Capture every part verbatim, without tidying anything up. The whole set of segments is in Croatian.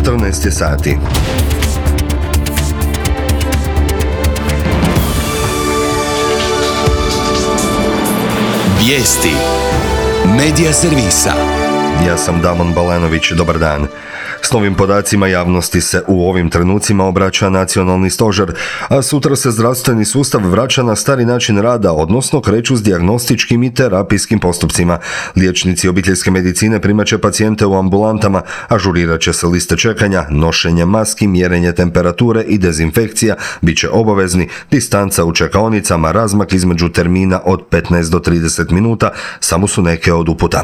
četrnaest je sati. Vijesti Medija servisa. Ja sam Damon Balanović, dobar dan. S novim podacima javnosti se u ovim trenucima obraća nacionalni stožer, a sutra se zdravstveni sustav vraća na stari način rada, odnosno kreću s dijagnostičkim i terapijskim postupcima. Liječnici obiteljske medicine primat će pacijente u ambulantama, ažurirat će se liste čekanja, nošenje maski, mjerenje temperature i dezinfekcija bit će obavezni, distanca u čekaonicama, razmak između termina od petnaest do trideset minuta samo su neke od uputa.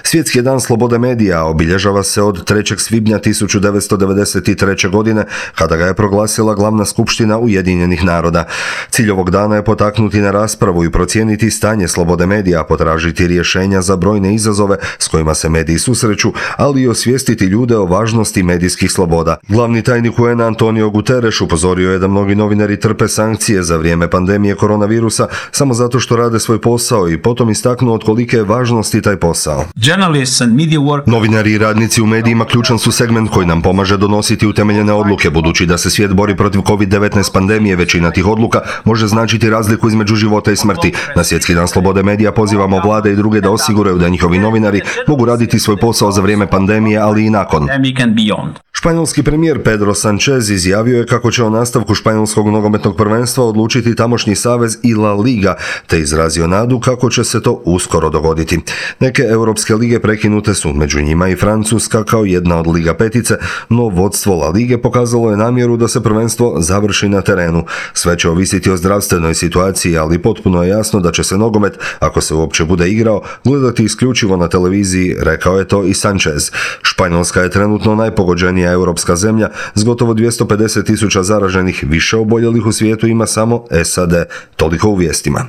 Svjetski dan slobode medija obilježava se od trećeg svibnja tisuću devetsto devedeset treće. godine, kada ga je proglasila glavna skupština Ujedinjenih naroda. Cilj ovog dana je potaknuti na raspravu i procijeniti stanje slobode medija, potražiti rješenja za brojne izazove s kojima se mediji susreću, ali i osvijestiti ljude o važnosti medijskih sloboda. Glavni tajnik U N a Antonio Guterres upozorio je da mnogi novinari trpe sankcije za vrijeme pandemije koronavirusa samo zato što rade svoj posao i potom istaknuo od kolike je važnosti taj posao. Novinari i radnici u medijima ključan su segment koji nam pomaže donositi utemeljene odluke. Budući da se svijet bori protiv kovid devetnaest pandemije, većina tih odluka može značiti razliku između života i smrti. Na Svjetski dan slobode medija pozivamo vlade i druge da osiguraju da njihovi novinari mogu raditi svoj posao za vrijeme pandemije, ali i nakon. Španjolski premijer Pedro Sanchez izjavio je kako će o nastavku španjolskog nogometnog prvenstva odlučiti tamošnji savez i La Liga, te izrazio nadu kako će se to uskoro dogoditi. Neke europske lige prekinute su, među njima i Francuska kao jedna od Liga petice, no vodstvo La Lige pokazalo je namjeru da se prvenstvo završi na terenu. Sve će ovisiti o zdravstvenoj situaciji, ali potpuno je jasno da će se nogomet, ako se uopće bude igrao, gledati isključivo na televiziji, rekao je to i Sanchez. Španjolska je trenutno najpogođenija europska zemlja s gotovo dvjesto pedeset tisuća zaraženih, više oboljelih u svijetu ima samo S A D. Toliko u vijestima.